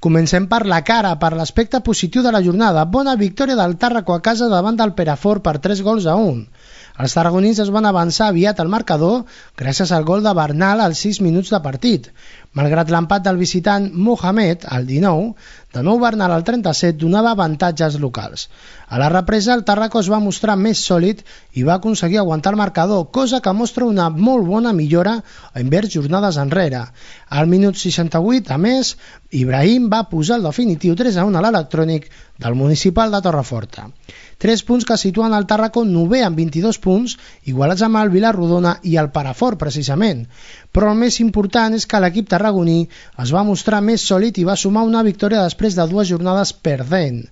Comencem per la cara, per l'aspecte positiu de la jornada. Bona victòria del Tàrraco a casa davant del Perafort per 3-1. Els tarragonins es van avançar aviat al marcador gràcies al gol de Bernal als 6 minuts de partit. Malgrat l'empat del visitant Mohamed al 19, de nou Bernal al 37 donava avantatges locals. A la represa el Tàrraco es va mostrar més sòlid i va aconseguir aguantar el marcador, cosa que mostra una molt bona millora envers jornades enrere. Al minut 68, a més, Ibrahim va posar el definitiu 3-1 a l'Electrònic del Municipal de Torreforta. 3 punts que situen el Tàrraco 9è amb 22 punts, igualats amb el Vilarrodona i el Perafort, precisament. Però el més important és que l'equip tarragoní es va mostrar més sòlid i va sumar una victòria després de 2 jornades perdent.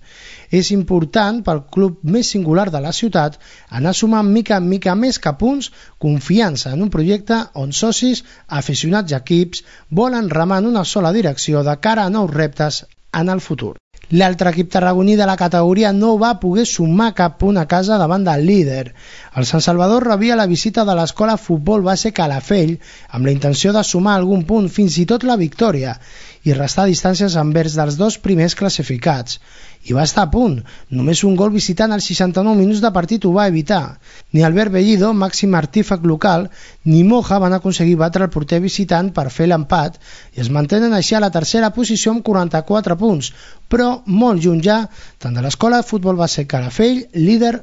És important pel club més singular de la ciutat anar sumant mica en mica més que punts, confiança en un projecte on socis, aficionats i equips volen remar en una sola direcció de cara a nous reptes en el futur. L'altre equip tarragoní de la categoria no va poder sumar cap punt a casa davant del líder. El Sant Salvador rebia la visita de l'escola Futbol Base Calafell amb la intenció de sumar algun punt, fins i tot la victòria, i restar distàncies envers dels 2 primers classificats. I va estar a punt. Només un gol visitant als 69 minuts de partit ho va evitar. Ni Albert Bellido, màxim artífex local, ni Moja van aconseguir batre el porter visitant per fer l'empat i es mantenen així a la tercera posició amb 44 punts, però molt lluny ja tant de l'escola de futbol base Calafell, líder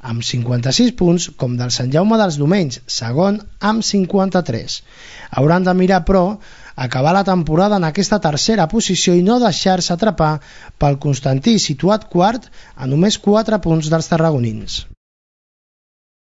amb 56 punts, com del Sant Jaume dels Domenys, segon amb 53. Hauran de mirar, però, acabar la temporada en aquesta tercera posició i no deixar-se atrapar pel Constantí, situat quart a només 4 punts dels tarragonins.